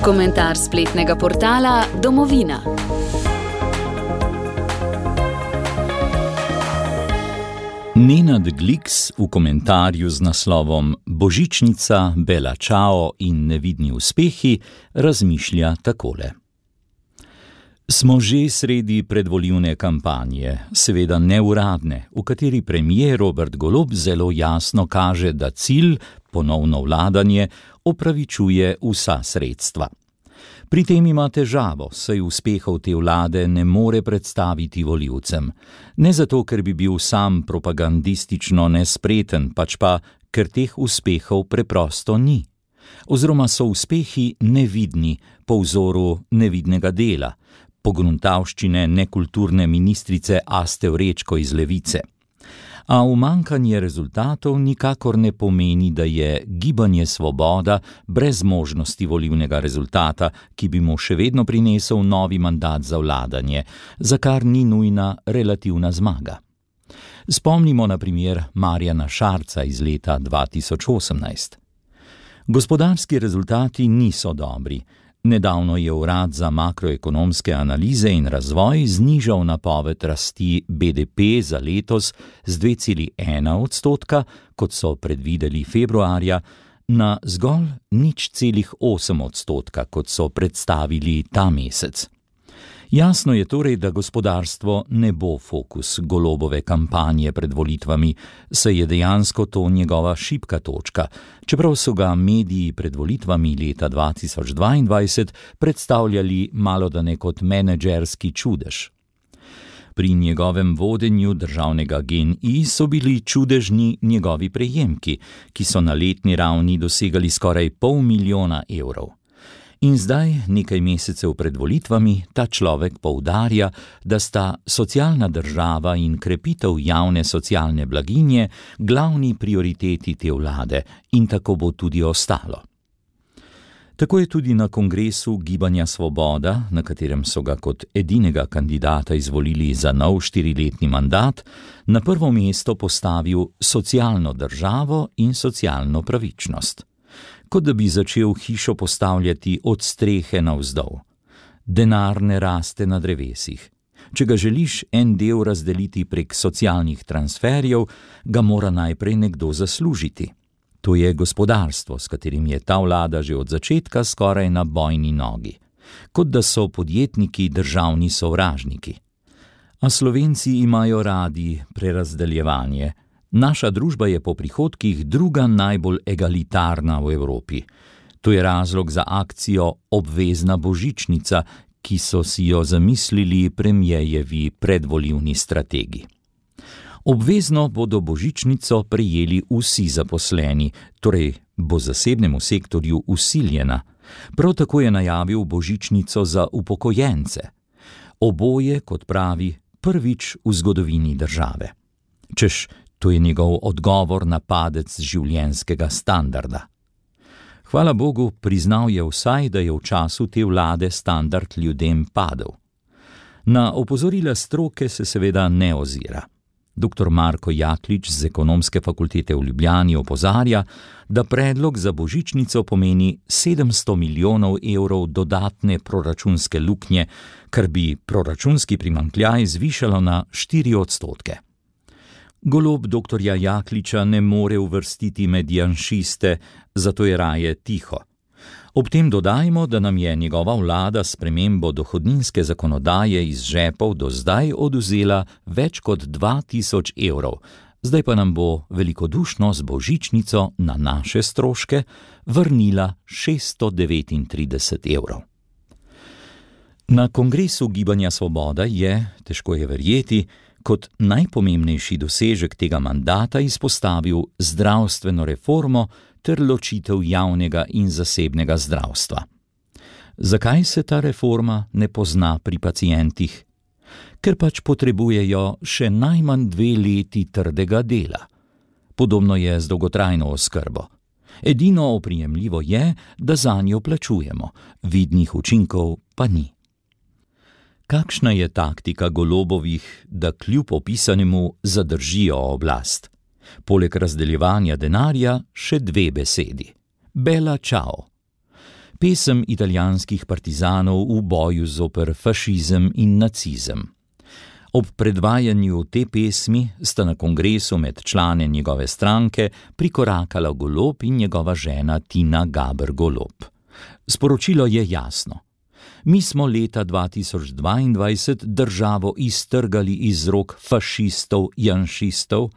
Komentar spletnega portala Domovina. Nenad Gliks v komentarju z naslovom Božičnica, Bela Ciao in nevidni uspehi razmišlja takole. Smo že sredi predvolilne kampanje, seveda neuradne, v kateri premier Robert Golob zelo jasno kaže, da cilj, ponovno vladanje, opravičuje vsa sredstva. Pri tem ima težavo, saj uspehov te vlade ne more predstaviti volivcem. Ne zato, ker bi bil sam propagandistično nespreten, pač pa, ker teh uspehov preprosto ni. Oziroma so uspehi nevidni, po vzoru nevidnega dela, pogruntavščine nekulturne ministrice Aste Vrečko iz Levice. A umanjkanje rezultatov nikakor ne pomeni, da je Gibanje Svoboda brez možnosti volilnega rezultata, ki bi mu še vedno prinesel novi mandat za vladanje, za kar ni nujna relativna zmaga. Spomnimo na primer Marjana Šarca iz leta 2018. Gospodarski rezultati niso dobri. Nedavno je Urad za makroekonomske analize in razvoj znižal napoved rasti BDP za letos z 2,1%, kot so predvideli februarja, na zgolj 0,8%, kot so predstavili ta mesec. Jasno je torej, da gospodarstvo ne bo fokus Golobove kampanje pred volitvami, saj je dejansko to njegova šibka točka, čeprav so ga mediji pred volitvami leta 2022 predstavljali malodane kot menedžerski čudež. Pri njegovem vodenju državnega GEN-I so bili čudežni njegovi prejemki, ki so na letni ravni dosegali skoraj 500 000 evrov. In zdaj, nekaj mesecev pred volitvami, ta človek poudarja, da sta socialna država in krepitev javne socialne blaginje glavni prioriteti te vlade in tako bo tudi ostalo. Tako je tudi na kongresu Gibanja Svoboda, na katerem so ga kot edinega kandidata izvolili za nov 4-letni mandat, na prvo mesto postavil socialno državo in socialno pravičnost. Kot da bi začel hišo postavljati od strehe navzdol. Denar ne raste na drevesih. Če ga želiš en del razdeliti prek socialnih transferjev, ga mora najprej nekdo zaslužiti. To je gospodarstvo, s katerim je ta vlada že od začetka skoraj na bojni nogi. Kot da so podjetniki državni sovražniki. A Slovenci imajo radi prerazdeljevanje. Naša družba je po prihodkih druga najbolj egalitarna v Evropi. To je razlog za akcijo Obvezna božičnica, ki so si jo zamislili premierjevi predvolilni strategi. Obvezno bodo božičnico prejeli vsi zaposleni, torej bo zasebnemu sektorju vsiljena. Prav tako je najavil božičnico za upokojence. Oboje, kot pravi, prvič v zgodovini države. Češ, to je njegov odgovor na padec življenjskega standarda. Hvala Bogu, priznal je vsaj, da je v času te vlade standard ljudem padel. Na opozorila stroke se seveda ne ozira. Dr. Marko Jaklič z Ekonomske fakultete v Ljubljani opozarja, da predlog za božičnico pomeni 700 milijonov evrov dodatne proračunske luknje, kar bi proračunski primanjkljaj zvišalo na 4%. Golob doktorja Jakliča ne more uvrstiti med janšiste, zato je raje tiho. Ob tem dodajmo, da nam je njegova vlada s spremembo dohodninske zakonodaje iz žepov do zdaj odvzela več kot 2000 evrov, zdaj pa nam bo velikodušno z božičnico na naše stroške vrnila 639 evrov. Na kongresu Gibanja Svoboda je, težko je verjeti, kot najpomembnejši dosežek tega mandata izpostavil zdravstveno reformo ter ločitev javnega in zasebnega zdravstva. Zakaj se ta reforma ne pozna pri pacientih? Ker pač potrebujejo še najmanj 2 leti trdega dela. Podobno je z dolgotrajno oskrbo. Edino oprijemljivo je, da zanjo plačujemo, vidnih učinkov pa ni. Kakšna je taktika Golobovih, da kljub opisanemu zadržijo oblast? Poleg razdeljevanja denarja še 2 besedi. Bela Ciao. Pesem italijanskih partizanov v boju zoper fašizem in nacizem. Ob predvajanju te pesmi sta na kongresu med člane njegove stranke prikorakala Golob in njegova žena Tina Gaber Golob. Sporočilo je jasno. Mi smo leta 2022 državo iztrgali iz rok fašistov, janšistov,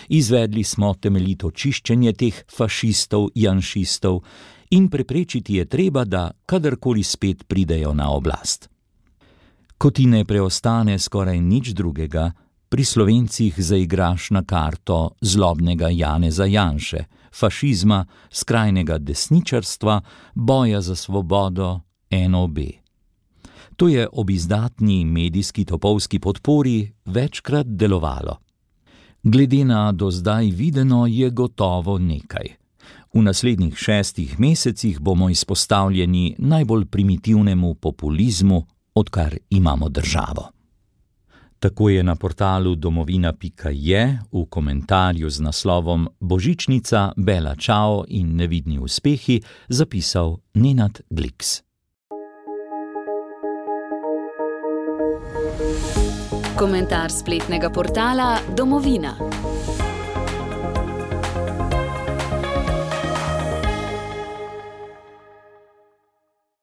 izvedli smo temeljito čiščenje teh fašistov, janšistov in preprečiti je treba, da kadarkoli spet pridejo na oblast. Ko ti ne preostane skoraj nič drugega, pri Slovencih zaigraš na karto zlobnega Janeza Janše, fašizma, skrajnega desničarstva, boja za svobodo, NOB. To je ob izdatni medijski topovski podpori večkrat delovalo. Glede na do zdaj videno je gotovo nekaj. V naslednjih 6 mesecih bomo izpostavljeni najbolj primitivnemu populizmu, odkar imamo državo. Tako je na portalu domovina.je v komentarju z naslovom Božičnica, Bela čao in nevidni uspehi zapisal Nenad Gliks. Komentar spletnega portala Domovina.